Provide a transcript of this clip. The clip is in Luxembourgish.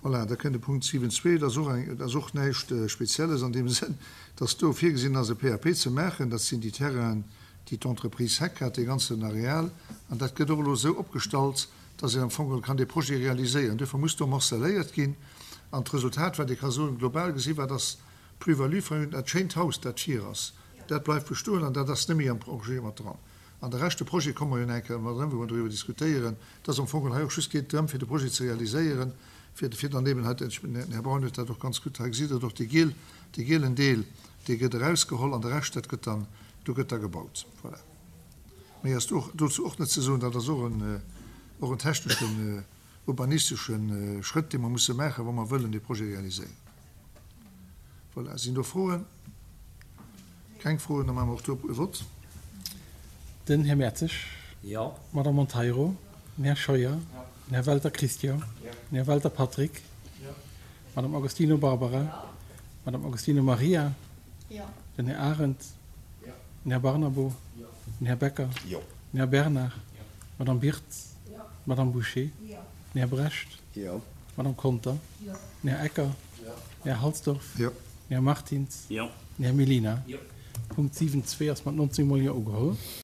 Voilà, da kënnt de Punkt 7.2. Dat ass och eng, dat ass och näischt Spezielles an deem Sënn, dass do virgesinn ass, e PAP ze maachen. Dat sinn déi Terrainen, déi d'Entreprise Heck hat, dee ganzen Areal. An dat gëtt och elo esou opgestallt, dass een am Fong geholl kann dee Projet realiséieren. Duerfir muss do morcelléiert ginn. An d'Resultat, wat ee ka soen, global gesi wat ass d'Plus-value vun dat schéint Haus, dat vir ass, dat bleift bestoen an dat ass net méi am Projet mat dran. An de Rescht, de Projet, komme mer jo nach eng Kéier mat erëm, wou mer doriwwer diskutéieren, dass am Fong hei och just geet drëm, fir de Projet ze realiséieren, fir, fir dann eben hei, den Här Braun huet dat och ganz gutt hei gesitt, et och dee giel, dee gielen Deel, dee gëtt erausgeholl an de Rescht, dat gëtt dann, do gëtt da gebaut. Voilà. Méi ass do och, dozou och net ze soen. Dat ass och en, och en techneschen, urbanistesche Schrëtt, dee mer musse maachen, wa mer wëllen dee Projet realiséieren. Voilà. Sinn do Froen? Keng Froen, da maache mer och do e Vott. Den Här Mertzig. Jo. D'Madame Monteiro. Den Här Scheuer. Den Här Welter Christian. Den Här Welter Patrick. D'Madame Agostino Barbara. D'Madame Agostino Maria. Den Här Arendt. Den Här Barnabo. Den Här Becker. Den Här Bernard. D'Madame Birtz. D'Madame Bouché. Den Här Brecht. D'Madame Conter. Den Här Ecker. Den Här Halsdorf. Den Här Martins. Den Här Mellina. Punkt 7.2 ass mat 19 mol Jo ugeholl.